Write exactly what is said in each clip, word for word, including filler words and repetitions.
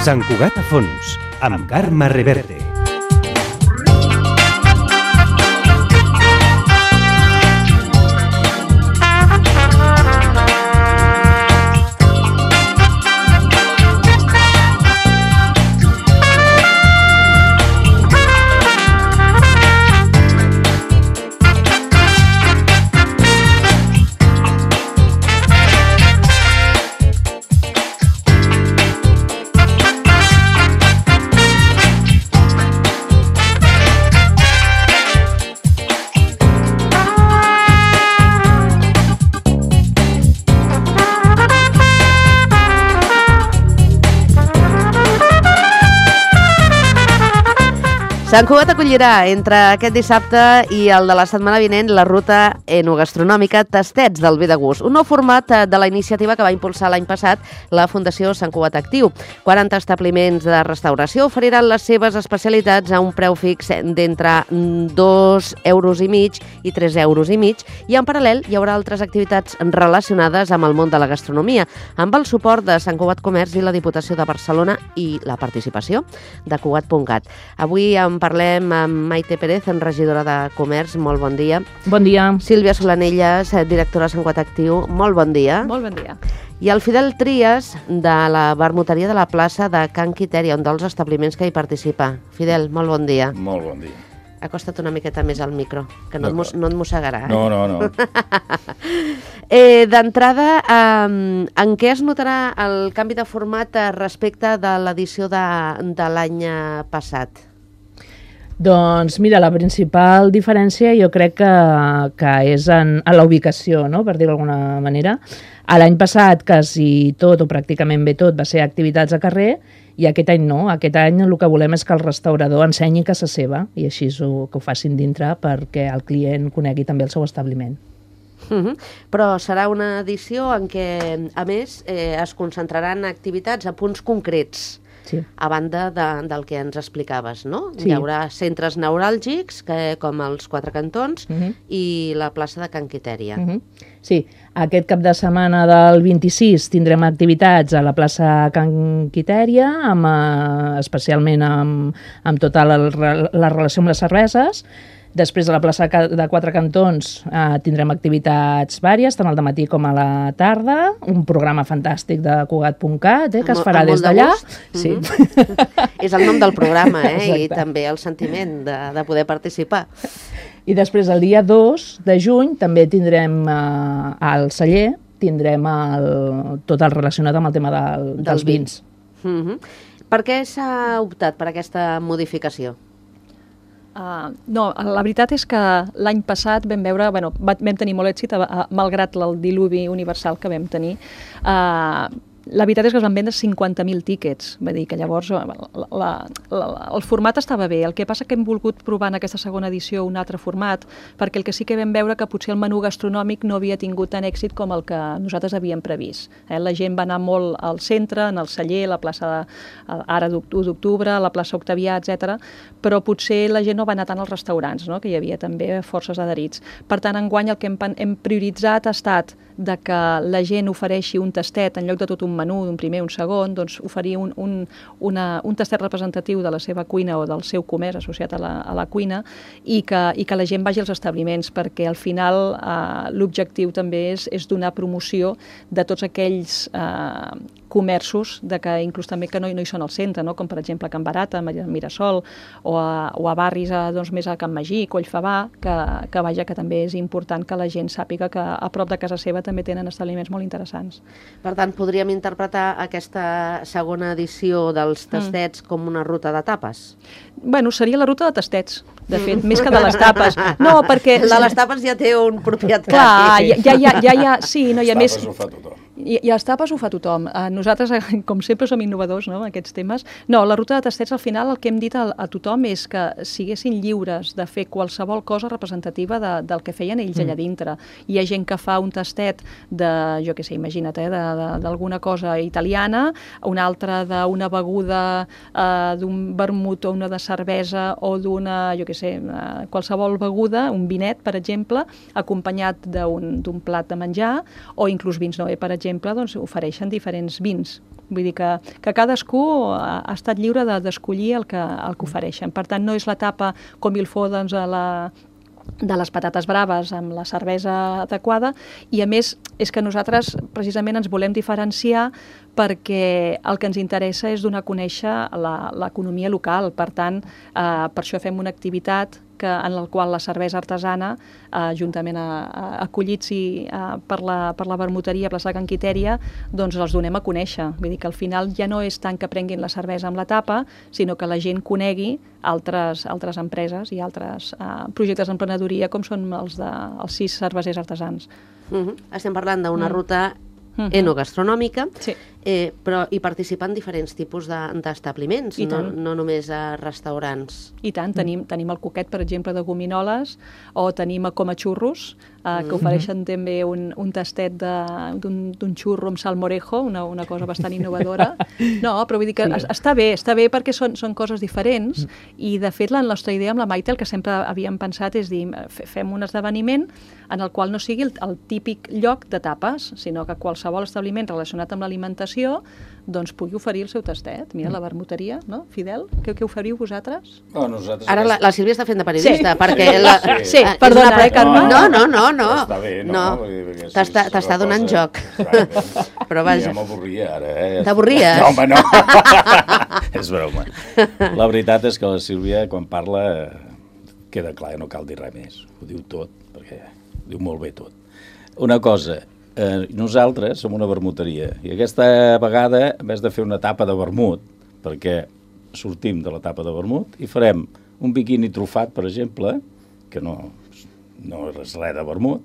Sant Cugat a fons, amb Carme Reverte. Sant Cugat acollirà entre aquest dissabte i el de la setmana vinent la ruta enogastronòmica Tastets del Bé de Gust, un nou format de la iniciativa que va impulsar l'any passat la Fundació Sant Cugat Actiu. quaranta establiments de restauració oferiran les seves especialitats a un preu fix d'entre dos euros i mig i tres euros i mig, i en paral·lel hi haurà altres activitats relacionades amb el món de la gastronomia, amb el suport de Sant Cugat Comerç i la Diputació de Barcelona i la participació de Cugat punt cat. Avui en parlem amb Maite Pérez, regidora de Comerç. Molt bon dia. Bon dia. Sílvia Solanelles, directora de Sant Cugat Actiu. Molt bon dia. Molt bon dia. I el Fidel Trias, de la vermuteria de la plaça de Can Quitèria, un dels establiments que hi participa. Fidel, molt bon dia. Molt bon dia. Acosta't una miqueta més al micro, que no, no, et, no et mossegarà. Eh? No, no, no. eh, D'entrada, eh, en què es notarà el canvi de format respecte de l'edició de, de l'any passat? Doncs mira, la principal diferència jo crec que, que és en, en la ubicació, no? Per dir-ho d'alguna manera. L'any passat quasi tot o pràcticament bé tot va ser activitats a carrer, i aquest any no. Aquest any el que volem és que el restaurador ensenyi casa seva, i així ho, que ho facin dintre perquè el client conegui també el seu establiment. Uh-huh. Però serà una edició en què, a més, eh, es concentraran activitats a punts concrets. Sí. A banda de, del que ens explicaves, no? Sí. Hi haurà centres neuràlgics, que, com els Quatre Cantons, uh-huh. i la plaça de Can Quitèria. Uh-huh. Sí, aquest cap de setmana del vint-i-sis tindrem activitats a la plaça Can Quitèria, amb, eh, especialment amb, amb tota la, la relació amb les cerveses. Després a la plaça de Quatre Cantons eh, tindrem activitats vàries, tant al dematí com a la tarda, un programa fantàstic de Cugat punt cat, eh, que es farà des d'allà. Sí. Mm-hmm. És el nom del programa, eh, i també el sentiment de, de poder participar. I després el dia dos de juny també tindrem eh, al celler, tindrem el, tot el relacionat amb el tema del, dels vins. Mm-hmm. Per què s'ha optat per aquesta modificació? Uh, no, la veritat és que l'any passat vam veure, bueno, vam tenir molt èxit, uh, malgrat el diluvi universal que vam tenir. Uh, la veritat és que es van vendre cinquanta mil tíquets, va dir que llavors la, la, la, el format estava bé. El que passa que hem volgut provar en aquesta segona edició un altre format, perquè el que sí que vam veure que potser el menú gastronòmic no havia tingut tant èxit com el que nosaltres havíem previst. Eh? La gent va anar molt al centre, en el celler, la plaça de, ara u d'octubre, la plaça Octavià, etcètera, però potser la gent no va anar tant als restaurants, no? Que hi havia també forces adherits. Per tant, enguany el que hem, hem prioritzat ha estat de que la gent ofereixi un tastet en lloc de tot un menú, d'un primer, un segon, doncs oferir un, un, una, un tastet representatiu de la seva cuina o del seu comerç associat a la, a la cuina, i que, i que la gent vagi als establiments, perquè al final eh, l'objectiu també és, és donar promoció de tots aquells eh, comerços, de que inclús també que no, no hi són al centre, no? Com per exemple a Can Barata, a Mirasol, o a, o a barris a, doncs, més a Can Magí, Collfabà, que, que vaja, que també és important que la gent sàpiga que a prop de casa seva també tenen establiments molt interessants. Per tant, podríem interpretar aquesta segona edició dels tastets mm. com una ruta de tapes? Bueno, seria la ruta de tastets, de fet, mm. més que de les tapes. No, perquè... La de les tapes ja té un propietari. Clar, ja, ja, ja, ja, sí, no, hi ha més... Les tapes ho fa tothom. I, I els tapes ho fa tothom. Uh, nosaltres, com sempre, som innovadors, no?, en aquests temes. No, la ruta de tastets, al final, el que hem dit a, a tothom és que siguessin lliures de fer qualsevol cosa representativa de, del que feien ells allà dintre. Hi ha gent que fa un tastet de, jo què sé, imagina't, eh, d'alguna cosa italiana, un altre d'una beguda, eh, d'un vermut o una de cervesa o d'una, jo què sé, eh, qualsevol beguda, un vinet, per exemple, acompanyat d'un plat de menjar, o inclús vins Noé, per exemple, doncs ofereixen diferents vins. Vull dir que, que cadascú ha, ha estat lliure d'escollir el, que, el que ofereixen. Per tant, no és la tapa com il faut, doncs, a la de les patates braves amb la cervesa adequada, i a més és que nosaltres precisament ens volem diferenciar perquè el que ens interessa és donar a conèixer l'economia local. Per tant, eh, per això fem una activitat que, en la qual la cervesa artesana, eh, juntament a, a, acollits i, a, per, la, per la vermuteria Plaça Can Quitèria, doncs els donem a conèixer. Vull dir que al final ja no és tant que prenguin la cervesa amb la tapa, sinó que la gent conegui altres, altres empreses i altres eh, projectes d'emprenedoria com són els, de, els sis cervesers artesans. Uh-huh. Estem parlant d'una Mm. ruta Mhm. enogastronòmica, Sí. eh, però hi participen diferents tipus d'establiments, I no, tant. no només a restaurants. I tant, tenim, tenim el coquet, per exemple, de gominoles, o tenim a Coma Xurros, eh, que Mm. ofereixen també un, un tastet d'un xurro amb salmorejo, una, una cosa bastant innovadora. No, però vull dir que Sí. es- està bé, està bé perquè són, són coses diferents, i de fet la nostra idea amb la Maite, el que sempre havíem pensat és dir, fe- fem un esdeveniment en el qual no sigui el, el típic lloc de tapes, sinó que qualsevol establiment relacionat amb l'alimentació doncs pugui oferir el seu tastet. Mira, la vermuteria, no? Fidel, què, què oferiu vosaltres? No, nosaltres... Ara la, la Sílvia està fent de periodista, Sí. perquè... Sí, La, sí. Sí, és perdona, una- eh, Carme? No, no, no, no. Està bé, no? No. Vull dir, perquè si T'està és t'està una donant cosa- joc. Exacte. Però vaja. Ja m'avorria ara, eh? T'avorries? No, home, no. És broma. La veritat és que la Sílvia, quan parla, queda clar, no cal dir res més. Ho diu tot, perquè ho diu molt bé tot. Una cosa, eh, nosaltres som una vermuteria, i aquesta vegada, en vez de fer una tapa de vermut, perquè sortim de la tapa de vermut, i farem un biquini trufat, per exemple, que no, no és res de vermut,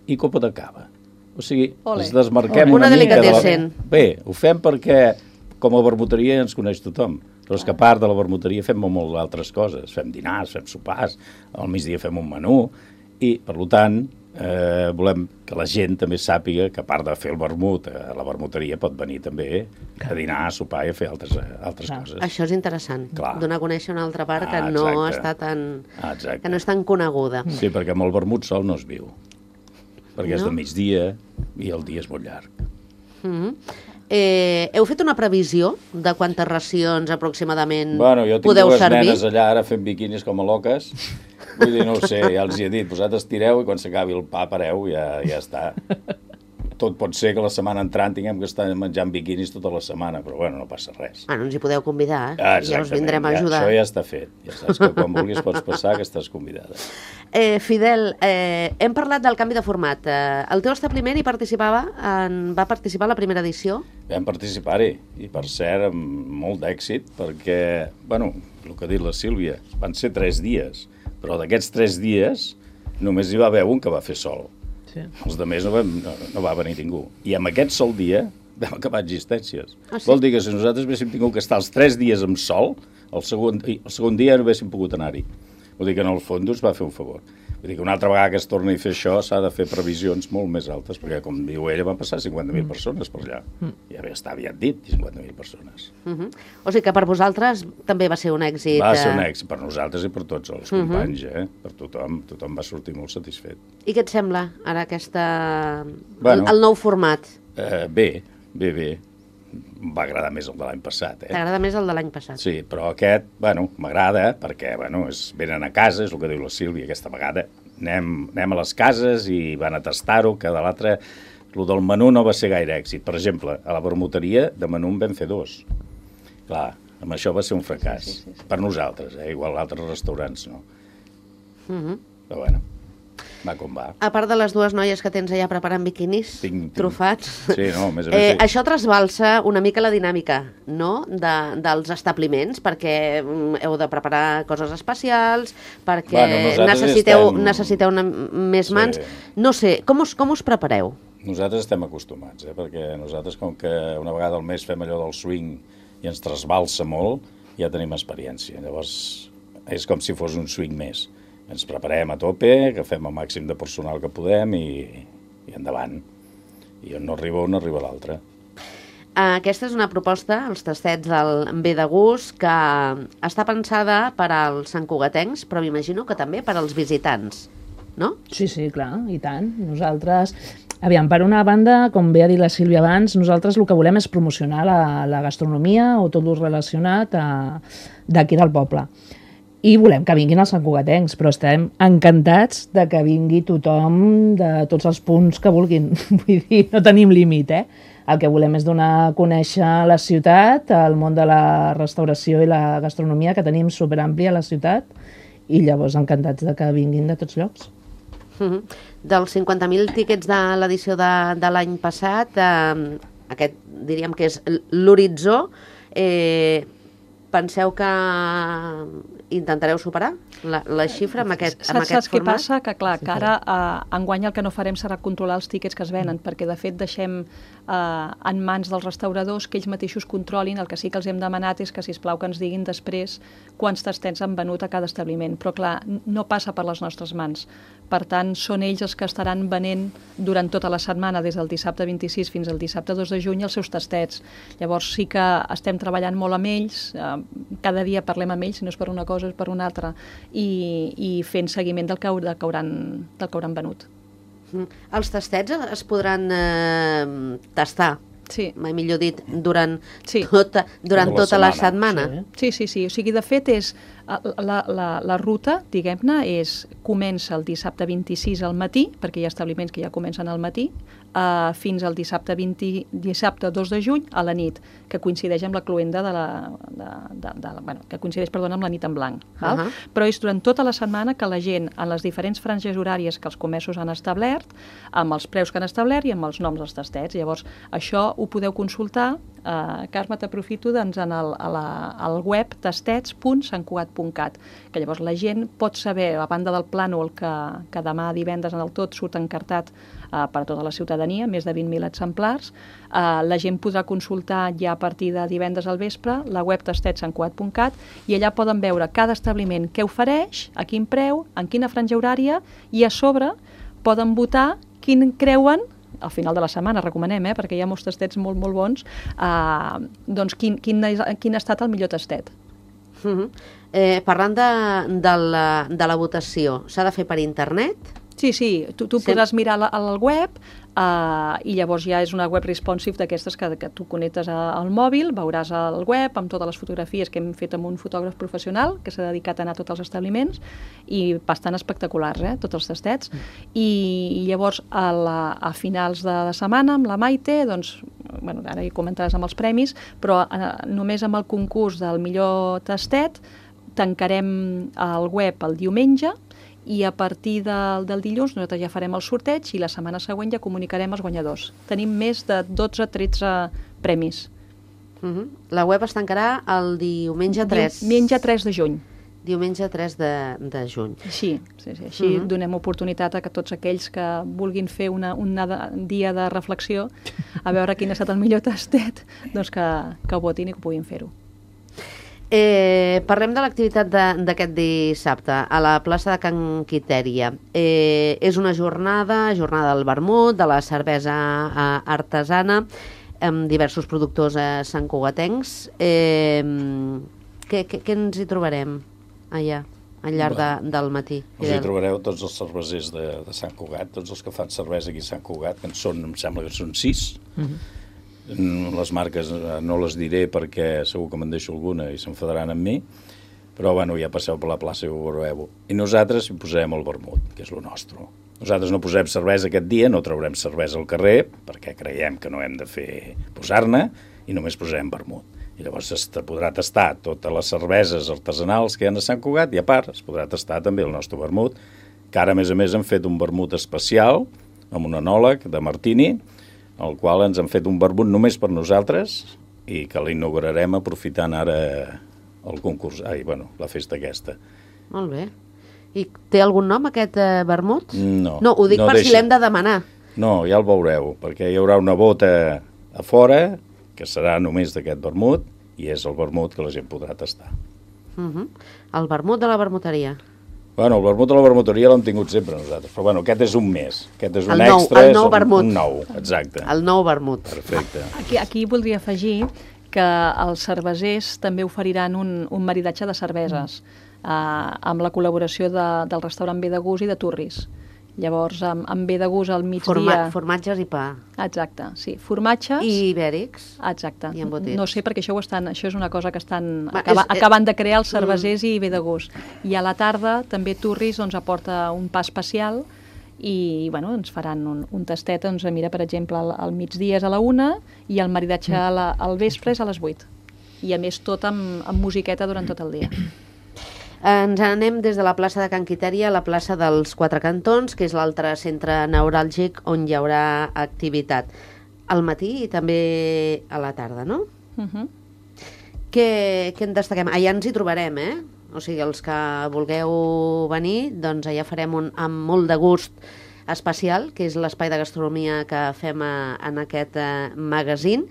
i copa de cava. O sigui, Ole. ens desmarquem Una una, mica de la... delicatessen. Bé, ho fem perquè com a vermuteria ens coneix tothom, però és que a part de la vermuteria fem molt altres coses. Fem dinars, fem sopars, al migdia fem un menú, i, per tant, eh, volem que la gent també sàpiga que a part de fer el vermut, eh, la vermuteria pot venir també a dinar, a sopar i a fer altres, eh, altres Clar. coses. Això és interessant, Clar. donar a conèixer una altra part que Ah, no exacte. està tan... Ah, exacte. que no és tan coneguda. Sí, perquè amb el vermut sol no es viu, perquè és No? de migdia i el dia és molt llarg. Mhm. Eh, heu fet una previsió de quantes racions aproximadament Bueno, jo tinc podeu dues servir? nenes allà ara fent biquinis com a loques. Vull dir, no ho sé, ja els hi he dit, vosaltres tireu i quan s'acabi el pa pareu, ja, ja està. Tot pot ser que la setmana entrant tinguem que estar menjant biquinis tota la setmana, però bueno, no passa res. Ah, no ens hi podeu convidar, eh? Ah, ja us vindrem a ja, ajudar. això ja està fet. Ja saps que quan vulguis pots passar que estàs convidada. Eh, Fidel, eh, hem parlat del canvi de format. Eh, el teu establiment hi participava, en, va participar a la primera edició? Vam participar-hi, i per cert, amb molt d'èxit, perquè, bueno, el que ha dit la Sílvia, van ser tres dies, però d'aquests tres dies només hi va haver un que va fer sol. Sí. Els altres no, vam, no, no va venir ningú. I amb aquest sol dia vam acabar existències. Ah, sí? Vol dir que si nosaltres haguéssim tingut que estar els tres dies amb sol, el segon, i el segon dia no haguéssim pogut anar-hi. Vol dir que en el fons ens va fer un favor. Vull dir que una altra vegada que es torni a fer això s'ha de fer previsions molt més altes, perquè, com diu ella, van passar cinquanta mil persones per allà. Ja bé, està aviat dit, cinquanta mil persones. Uh -huh. O sigui que per vosaltres també va ser un èxit. Va ser un eh? èxit per nosaltres i per tots els companys, eh? Per tothom, tothom va sortir molt satisfet. I què et sembla ara aquesta... Bueno. el, el nou format? Eh, bé, bé, bé. Em va agradar més el de l'any passat, eh? T'agrada més el de l'any passat? Sí, però aquest, bueno, m'agrada perquè, bueno, es venen a casa, és el que diu la Sílvia aquesta vegada. Anem, anem a les cases i van a tastar-ho, que de l'altre... El del menú no va ser gaire èxit. Per exemple, a la vermuteria de menú en vam fer dos. Clar, amb això va ser un fracàs. Sí, sí, sí, sí. Per nosaltres, eh? Igual altres restaurants no. Uh -huh. Però bueno, va com va. A part de les dues noies que tens allà preparant biquinis Tinc- tinc- trufats, Sí, no, a més a més... eh, sí. això trasbalsa una mica la dinàmica, no?, de, dels establiments, perquè mm, heu de preparar coses especials, perquè Bueno, nosaltres necessiteu, estem- necessiteu una, més Sí. mans. No sé, com us, com us prepareu? Nosaltres estem acostumats, eh? Perquè nosaltres, com que una vegada al mes fem allò del swing i ens trasbalsa molt, ja tenim experiència. Llavors, és com si fos un swing més. Ens preparem a tope, agafem el màxim de personal que podem i, i endavant. I on no arriba un, arriba l'altre. Aquesta és una proposta, els tastets del Ve de Gust, que està pensada per als santcugatencs, però m'imagino que també per als visitants, no? Sí, sí, clar, i tant. Nosaltres... Aviam, per una banda, com bé ha dit la Sílvia abans, nosaltres el que volem és promocionar la, la gastronomia o tot el relacionat d'aquí del poble. I volem que vinguin els santcugatencs, però estem encantats de que vingui tothom de tots els punts que vulguin. Vull dir, no tenim límit, eh? El que volem és donar a conèixer la ciutat, el món de la restauració i la gastronomia, que tenim superampli a la ciutat, i llavors encantats de que vinguin de tots llocs. Uh-huh. Dels cinquanta mil tíquets de l'edició de, de l'any passat, eh, aquest diríem que és l'horitzó, eh, penseu que intentareu superar la, la xifra amb aquest, amb Saps, aquest saps què format? passa? Que clar, que ara eh, enguany el que no farem serà controlar els tíquets que es venen, perquè de fet deixem eh, en mans dels restauradors que ells mateixos controlin. El que sí que els hem demanat és que, sisplau, que ens diguin després quants tastets han venut a cada establiment. Però clar, no passa per les nostres mans. Per tant, són ells els que estaran venent durant tota la setmana, des del dissabte vint-i-sis fins al dissabte dos de juny, els seus tastets. Llavors sí que estem treballant molt amb ells, eh, cada dia parlem amb ells, si no és per una cosa és per una altra, i, i fent seguiment del que, del que, hauran, del que hauran venut. Mm. Els tastets es podran eh, tastar, Sí. mai millor dit, durant, Sí. tota, durant Tota la tota la setmana. setmana. Sí. Sí, sí, sí. O sigui, de fet, és, la, la, la ruta, diguem-ne, és, comença el dissabte vint-i-sis al matí, perquè hi ha establiments que ja comencen al matí, uh, fins al dissabte, vint, dissabte dos de juny a la nit, que coincideix amb la cluenda de la... De, de, de, bueno, que coincideix, perdona, amb la nit en blanc. Val? Uh -huh. Però és durant tota la setmana que la gent, en les diferents franges horàries que els comerços han establert, amb els preus que han establert i amb els noms dels tastets. Llavors, això ho podeu consultar, eh, Carme, t'aprofito, doncs, en el, a la, al web tastets punt sant cugat punt cat, que llavors la gent pot saber, a banda del plànol que, que demà divendres en el tot surt encartat eh, per a tota la ciutadania, més de vint mil exemplars, eh, la gent podrà consultar ja a partir de divendres al vespre la web tastets sant cugat punt cat i allà poden veure cada establiment què ofereix, a quin preu, en quina franja horària, i a sobre poden votar quin creuen, al final de la setmana, recomanem, eh, perquè hi ha molts tastets molt, molt bons, eh, doncs quin, quin, quin ha estat el millor tastet. Uh -huh. eh, parlant de, de, la, de la votació, s'ha de fer per internet? Sí, sí, tu, tu Sí. podràs mirar la, al web uh, i llavors ja és una web responsive d'aquestes que, que tu connectes a, al mòbil, veuràs el web amb totes les fotografies que hem fet amb un fotògraf professional que s'ha dedicat a anar a tots els establiments i bastant espectaculars, eh, tots els tastets. I, i llavors a, la, a finals de, de setmana amb la Maite, doncs, bueno, ara hi comentaràs amb els premis, però uh, només amb el concurs del millor tastet tancarem el web el diumenge i a partir del, del dilluns nosaltres ja farem el sorteig i la setmana següent ja comunicarem els guanyadors. Tenim més de dotze o tretze premis. Uh -huh. La web es tancarà el diumenge tres. Diumenge tres de juny. Diumenge tres de, de juny. Així, sí, sí, així Uh-huh. donem oportunitat a que tots aquells que vulguin fer una, un dia de reflexió a veure quin ha estat el millor tastet, doncs que, que ho votin i que puguin fer-ho. Eh, parlem de l'activitat d'aquest dissabte a la plaça de Can Quitèria. Eh, és una jornada, jornada del vermut, de la cervesa eh, artesana, amb diversos productors eh, santcugatencs. Eh, què, què, què ens hi trobarem allà, al llarg de, del matí? Us hi trobareu tots els cervesers de, de Sant Cugat, tots els que fan cervesa aquí a Sant Cugat, que en són, em sembla que són sis. Uh-huh. Les marques no les diré perquè segur que me'n deixo alguna i s'enfadaran amb mi, però bueno, ja passeu per la plaça i ho veureu. I nosaltres hi posarem el vermut, que és el nostre. Nosaltres no posem cervesa aquest dia, no traurem cervesa al carrer, perquè creiem que no hem de fer posar-ne, i només posarem vermut. I llavors es podrà tastar totes les cerveses artesanals que hi ha a Sant Cugat i a part es podrà tastar també el nostre vermut, que ara a més a més hem fet un vermut especial amb un enòleg de Martini, el qual ens han fet un vermut només per nosaltres i que l'inaugurarem aprofitant ara el concurs, ai, bueno, la festa aquesta. Molt bé. I té algun nom aquest eh, vermut? No. No, ho dic no per deixa. si l'hem de demanar. No, ja el veureu, perquè hi haurà una bota a fora, que serà només d'aquest vermut, i és el vermut que la gent podrà tastar. Uh -huh. El vermut de la vermuteria. Bueno, el vermut de la vermuteria l'hem tingut sempre nosaltres, però bueno, aquest és un més, aquest és un el nou, extra, el nou és un, vermut. un nou, exacte. El nou vermut. Perfecte. Aquí, aquí voldria afegir que els cervesers també oferiran un, un maridatge de cerveses mm. eh, amb la col·laboració de, del restaurant Bé de Gust i de Turris. Llavors, amb, amb Bé de Gust al migdia... Forma, formatges i pa. Exacte, sí. Formatges... I ibèrics. Exacte. I embotits. No sé, perquè això, ho estan, això és una cosa que estan Va, acaba, és, acabant de crear els cervesers mm. i Bé de Gust. I a la tarda també Turris doncs, aporta un pa especial i bueno, ens faran un, un tastet, doncs, mira, per exemple, al, al migdia és a la una i el maridatge a la, al vespre és a les vuit. I a més tot amb, amb musiqueta durant tot el dia. Ens anem des de la plaça de Can Quitèria a la plaça dels Quatre Cantons, que és l'altre centre neuràlgic on hi haurà activitat. Al matí i també a la tarda, no? Uh -huh. Què, què en destaquem? Allà ens hi trobarem, eh? O sigui, els que vulgueu venir, doncs allà farem un amb molt de gust especial, que és l'espai de gastronomia que fem a, en aquest eh, magazín,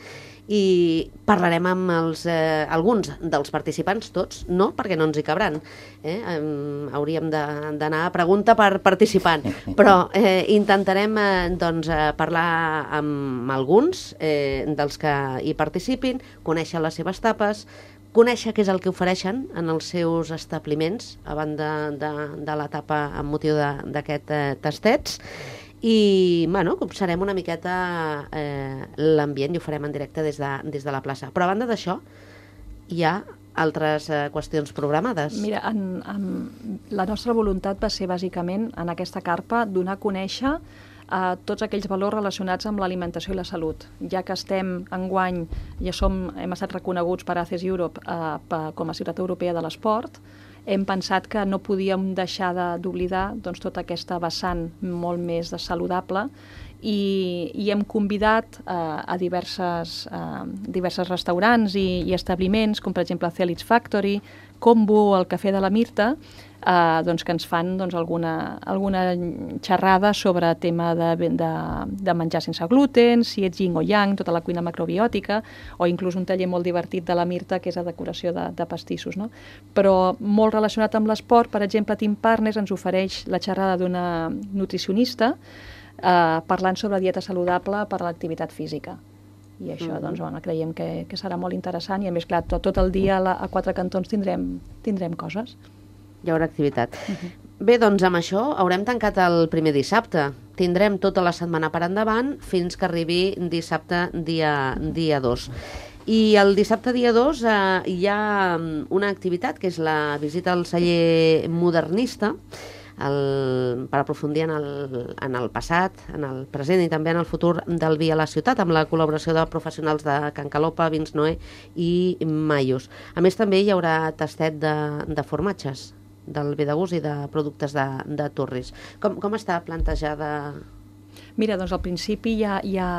i parlarem amb els, eh, alguns dels participants, tots, no, perquè no ens hi cabran. Eh? Um, hauríem d'anar a pregunta per participant, però eh, intentarem eh, doncs, eh, parlar amb alguns eh, dels que hi participin, conèixer les seves tapes, conèixer què és el que ofereixen en els seus establiments, a banda de, de l'etapa amb motiu d'aquest eh, tastets, i bueno, observem una miqueta eh, l'ambient i ho farem en directe des de, des de la plaça. Però a banda d'això, hi ha altres eh, qüestions programades. Mira, en, en, la nostra voluntat va ser bàsicament en aquesta carpa donar a conèixer eh, tots aquells valors relacionats amb l'alimentació i la salut. Ja que estem enguany, ja som, hem estat reconeguts per A C E S Europe eh, per, com a ciutat europea de l'esport, hem pensat que no podíem deixar d'oblidar doncs, tota aquesta vessant molt més saludable i, i hem convidat eh, a diverses, eh, diverses restaurants i, i establiments, com per exemple Celix Factory, Combo, el Cafè de la Mirta, eh, doncs, que ens fan doncs, alguna, alguna xerrada sobre tema de, de, de menjar sense gluten, si ets yin o yang, tota la cuina macrobiòtica, o inclús un taller molt divertit de la Mirta, que és la decoració de, de pastissos. No? Però molt relacionat amb l'esport, per exemple, Team Partners ens ofereix la xerrada d'una nutricionista eh, parlant sobre dieta saludable per a l'activitat física. I això, mm-hmm. doncs, bueno, creiem que, que serà molt interessant i, a més, clar, tot, tot el dia a, la, a Quatre Cantons tindrem, tindrem coses. Hi haurà activitat. Uh-huh. Bé, doncs amb això haurem tancat el primer dissabte. Tindrem tota la setmana per endavant fins que arribi dissabte dia, dia dos. I el dissabte dia dos eh, hi ha una activitat que és la visita al celler modernista, el, per aprofundir en el, en el passat, en el present i també en el futur del vi a la ciutat, amb la col·laboració de professionals de Can Calopa, Vins Noé i Maius. A més, també hi haurà tastet de, de formatges, del Bé de Gust i de productes de, de Turris. Com, com està plantejada? Mira, doncs al principi hi ha, hi ha,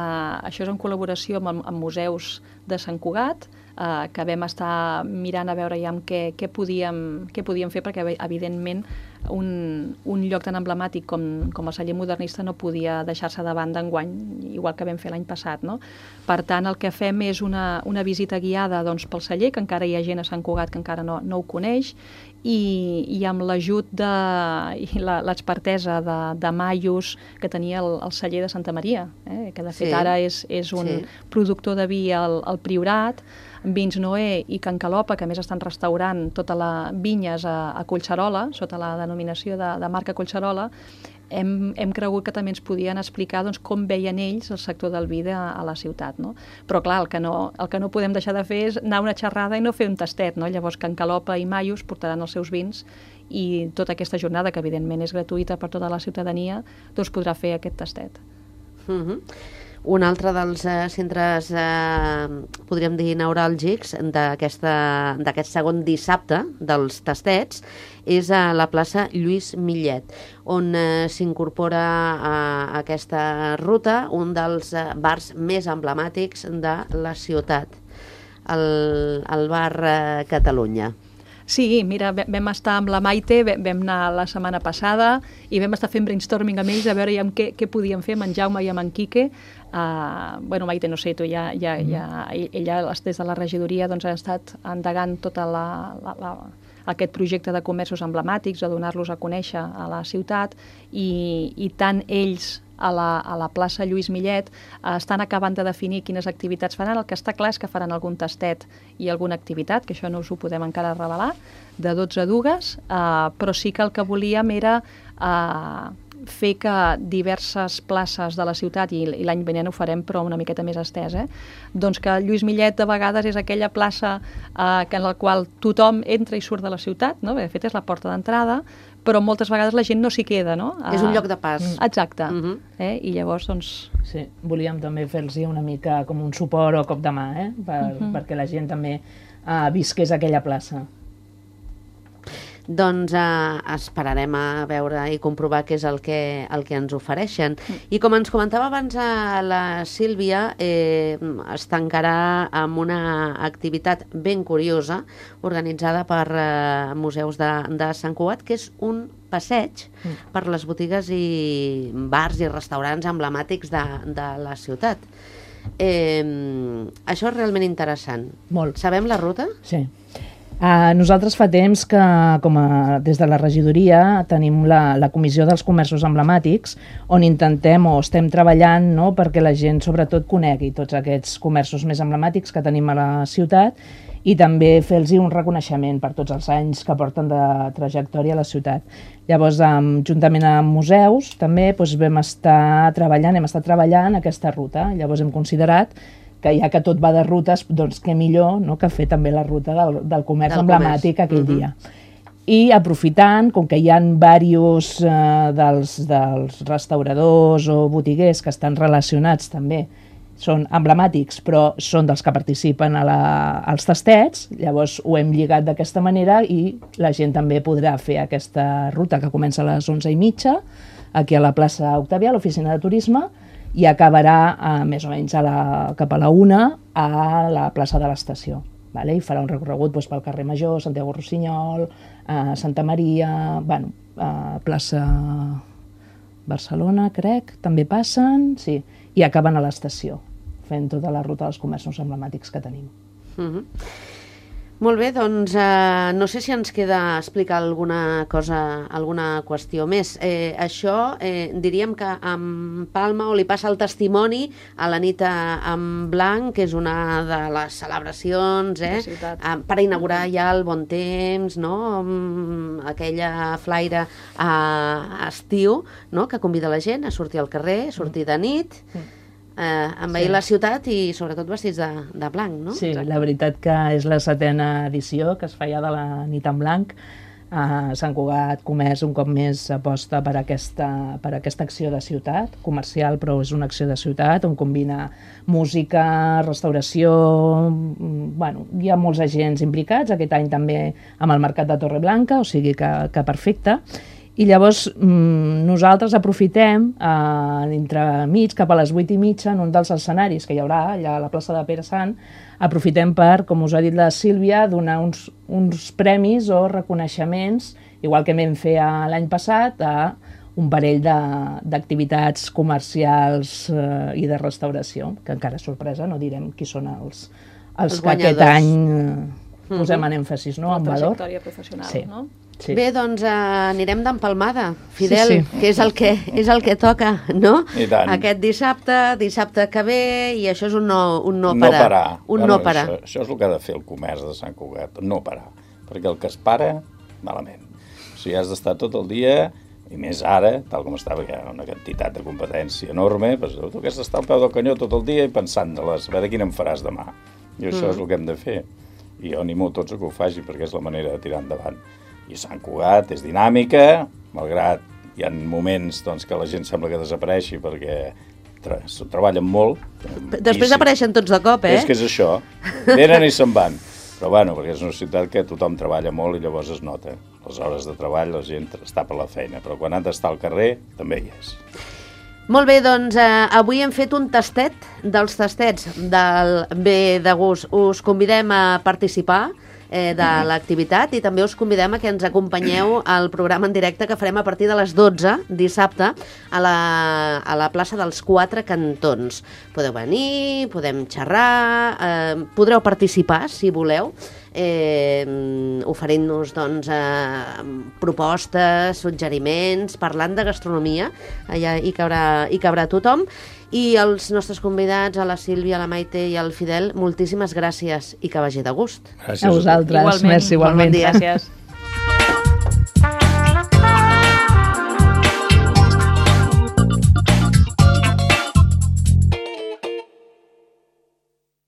això és en col·laboració amb, amb museus de Sant Cugat, eh, que vam estar mirant a veure ja què, què, podíem, què podíem fer, perquè evidentment un, un lloc tan emblemàtic com, com el celler modernista no podia deixar-se de banda enguany, igual que vam fer l'any passat. No? Per tant, el que fem és una, una visita guiada doncs, pel celler, que encara hi ha gent a Sant Cugat que encara no, no ho coneix, i, i amb l'ajut de i l'expertesa de, de Maius, que tenia el, el celler de Santa Maria, eh? Que de fet sí. ara és, és un sí. productor de vi al, al Priorat, Vins Noé i Can Calopa, que a més estan restaurant tota la vinyes a, a Collserola, sota la denominació de, de marca Collserola. Hem, hem cregut que també ens podien explicar doncs, com veien ells el sector del vi de, a la ciutat. No? Però clar, el que, no, el que no podem deixar de fer és anar a una xerrada i no fer un tastet. No? Llavors Can Calopa i Maius portaran els seus vins i tota aquesta jornada, que evidentment és gratuïta per tota la ciutadania, doncs podrà fer aquest tastet. Mm-hmm. Un altre dels eh, centres, eh, podríem dir, neuràlgics d'aquest segon dissabte dels tastets és a la plaça Lluís Millet, on eh, s'incorpora a aquesta ruta un dels eh, bars més emblemàtics de la ciutat, el, el bar eh, Catalunya. Sí, mira, vam estar amb la Maite, vam anar la setmana passada i vam estar fent brainstorming amb ells a veure ja què, què podíem fer amb en Jaume i amb en Quique. Uh, bueno, Maite, no sé, tu ja, ja, ja, ella des de la regidoria doncs, ha estat endegant tota la, la, la, aquest projecte de comerços emblemàtics, a donar-los a conèixer a la ciutat i, i tant ells a la, a la plaça Lluís Millet eh, estan acabant de definir quines activitats faran. El que està clar és que faran algun tastet i alguna activitat, que això no us ho podem encara revelar, de dotze dugues, eh, però sí que el que volíem era eh, fer que diverses places de la ciutat, i, i l'any vinent ho farem però una miqueta més estès, eh? Doncs que Lluís Millet de vegades és aquella plaça eh, que en la qual tothom entra i surt de la ciutat, no? Bé, de fet és la porta d'entrada, però moltes vegades la gent no s'hi queda, no? És un lloc de pas. Exacte. Uh -huh. eh? I llavors, doncs... Sí, volíem també fer-los una mica com un suport o cop de mà, eh? Per, uh -huh. perquè la gent també uh, visqués aquella plaça. Doncs eh, esperarem a veure i comprovar què és el que, el que ens ofereixen. Mm. I com ens comentava abans a la Sílvia, eh, es tancarà amb una activitat ben curiosa organitzada per eh, Museus de, de Sant Cugat, que és un passeig mm. per les botigues i bars i restaurants emblemàtics de, de la ciutat. Eh, això és realment interessant. Molt. Sabem la ruta? Sí. Uh, nosaltres fa temps que, com a, des de la regidoria, tenim la, la comissió dels comerços emblemàtics, on intentem o estem treballant, no?, perquè la gent sobretot conegui tots aquests comerços més emblemàtics que tenim a la ciutat i també fer-los un reconeixement per tots els anys que porten de trajectòria a la ciutat. Llavors, um, juntament amb museus, també doncs, vam estar treballant, hem estat treballant aquesta ruta. Llavors hem considerat que ja que tot va de rutes, doncs què millor, no?, que fer també la ruta del, del comerç del emblemàtic comerç. Aquell uh-huh. dia. I aprofitant, com que hi ha diversos eh, dels, dels restauradors o botiguers que estan relacionats també, són emblemàtics, però són dels que participen a la, als tastets, llavors ho hem lligat d'aquesta manera i la gent també podrà fer aquesta ruta que comença a les onze i mitja, aquí a la plaça Octavià, a l'oficina de turisme, i acabarà eh, més o menys a la, cap a la una a la plaça de l'estació. Vale? I farà un recorregut doncs, pel carrer Major, Santiago Rossinyol, eh, Santa Maria, bueno, eh, plaça Barcelona, crec, també passen, sí, i acaben a l'estació, fent tota la ruta dels comerços emblemàtics que tenim. Uh-huh. Molt bé, doncs eh, no sé si ens queda explicar alguna cosa, alguna qüestió més. Eh, això eh, diríem que en Palma, o li passa el testimoni a la nit en blanc, que és una de les celebracions eh, eh, per inaugurar ja el bon temps, no? Aquella flaire a estiu, no?, que convida la gent a sortir al carrer, a sortir de nit, Eh, envair sí. la ciutat i sobretot vestits de, de blanc, no? Sí, la veritat que és la setena edició que es feia de la nit en blanc. Uh, Sant Cugat Comerç un cop més aposta per aquesta, per aquesta acció de ciutat, comercial però és una acció de ciutat on combina música, restauració, bueno, hi ha molts agents implicats, aquest any també amb el mercat de Torreblanca, o sigui que, que perfecte. I llavors mmm, nosaltres aprofitem eh, entremig, cap a les vuit i mitja, en un dels escenaris que hi haurà allà a la plaça de Pere Sant, aprofitem per, com us ha dit la Sílvia, donar uns, uns premis o reconeixements, igual que vam fer l'any passat, a un parell d'activitats comercials eh, i de restauració, que encara és sorpresa, no direm qui són els, els, els que aquest any eh, posem en èmfasis, no?, en valor. La trajectòria professional, sí. no? Sí. Bé, doncs eh, anirem d'empalmada, Fidel, sí, sí. que és el que, és el que toca, no? I tant. Aquest dissabte, dissabte que ve, i això és un no, un no No parar. parar. Un bueno, no parar. Això, això és el que ha de fer el comerç de Sant Cugat, no parar. Perquè el que es para, malament. O sigui, has d'estar tot el dia, i més ara, tal com està, hi ha una quantitat de competència enorme, doncs, tu que has d'estar al peu del canyó tot el dia i pensant-les, a veure quina em faràs demà. I això mm. és el que hem de fer. I jo animo tots a que ho faci, perquè és la manera de tirar endavant. I Sant Cugat és dinàmica, malgrat hi ha moments doncs, que la gent sembla que desapareixi perquè tra treballen molt. Després apareixen tots de cop, eh? És que és això. Venen i se'n van. Però bueno, perquè és una ciutat que tothom treballa molt i llavors es nota. Les hores de treball la gent està per la feina, però quan han d'estar al carrer també hi és. Molt bé, doncs eh, avui hem fet un tastet dels tastets del Bé de Gust. Us convidem a participar eh, de l'activitat, i també us convidem a que ens acompanyeu al programa en directe que farem a partir de les dotze dissabte a la, a la plaça dels Quatre Cantons. Podeu venir, podem xerrar, eh, podreu participar si voleu, eh, oferint-nos doncs, eh, propostes, suggeriments, parlant de gastronomia, allà hi cabrà, hi cabrà tothom. I els nostres convidats, a la Sílvia, a la Maite i al Fidel, moltíssimes gràcies i que vagi de gust. Gràcies A vosaltres, Igualment. merci, igualment. Bon dia. Gràcies.